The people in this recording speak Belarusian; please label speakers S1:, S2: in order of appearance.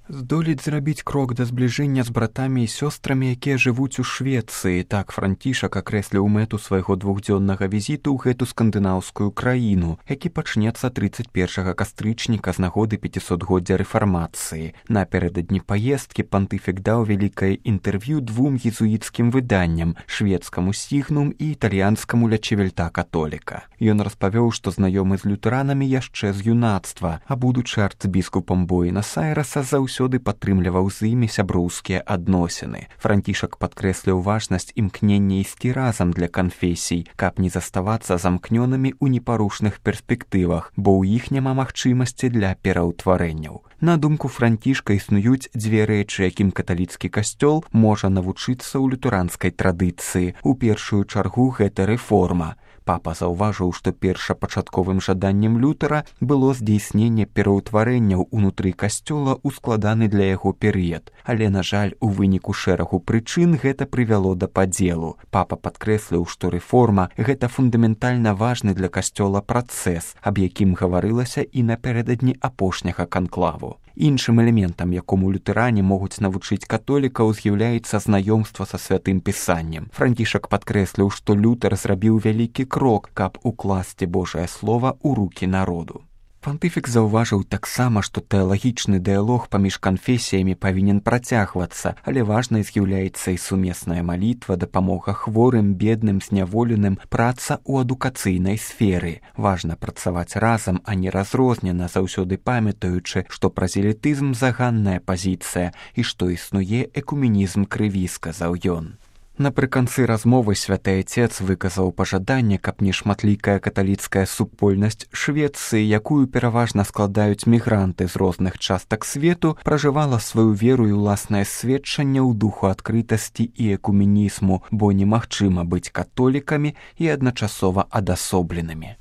S1: Здолець зрабіць крок да збліжэння з братамі і сёстрамі, якія жывуць у Швецыі. Так Францішак акрэсліў мэту свайго двухдзённага візіту ў гэту скандынаўскую краіну, які пачнецца 31 кастрычніка з нагоды 500годдзя рэфармацыі. Напярэдадні паездкі пантыфік даў вялікае інтэрв'ю двум езуіцкім выданням, шведскаму «Сігнум» і італьянскаму «Ля Чевельта Католіка». Ён распавёў, што знаёмы з лютэранамі яшчэ з юнацтва, а будучы арцбіскупам Буэнас-Айрэса заўсёды падтрымліваў з імі сяброўскія адносіны. Францішак падкрэсліў важнасць імкнення ісці разам для канфесій, каб не заставацца замкнёнымі ў непарушных перспектывах, бо ў іх няма магчымасці для пераўтварэнняў. На думку Францішка, існуюць дзве рэчы, якім каталіцкі касцёл можа навучыцца ў лютэранскай традыцыі. У першую чаргу гэта рэформа. Папа заўважыў, што першапачатковым жаданнем Лютэра было здзейсненне пераўтварэнняў унутры касцёла ў складаны для яго перыяд. Але, на жаль, у выніку шэрагу прычын гэта прывяло да падзелу. Папа падкрэсліў, што рэформа – гэта фундаментальна важны для касцёла працэс, аб якім гаварылася і напярэдадні апошняга канклаву. Іншым элементам, якому лютэране могуць навучыць католікаў, з'яўляецца знаёмства са святым пісаннем. Францішак падкрэсліў, што Лютэр зрабіў вялікі крок, каб укласці Божае слова ў рукі народу. Пантыфік заўважыў таксама, што тэалагічны дыялог паміж канфесіямі павінен працягвацца, але важнай з'яўляецца і сумесная малітва, дапамога хворым, бедным, зняволеным, праца ў адукацыйнай сферы. Важна працаваць разам, а не разрознена, заўсёды памятаючы, што празелітызм заганная пазіцыя і што існуе экуменізм крыві, сказаў ён. Напрыканцы размовы святы Айцец выказаў пажаданне, каб нешматлікая каталіцкая супольнасць Швецыі, якую пераважна складаюць мігранты з розных частак свету, пражывала сваю веру і ўласнае сведчанне ў духу адкрытасці і экуменізму, бо немагчыма быць католікамі і адначасова адасобленымі.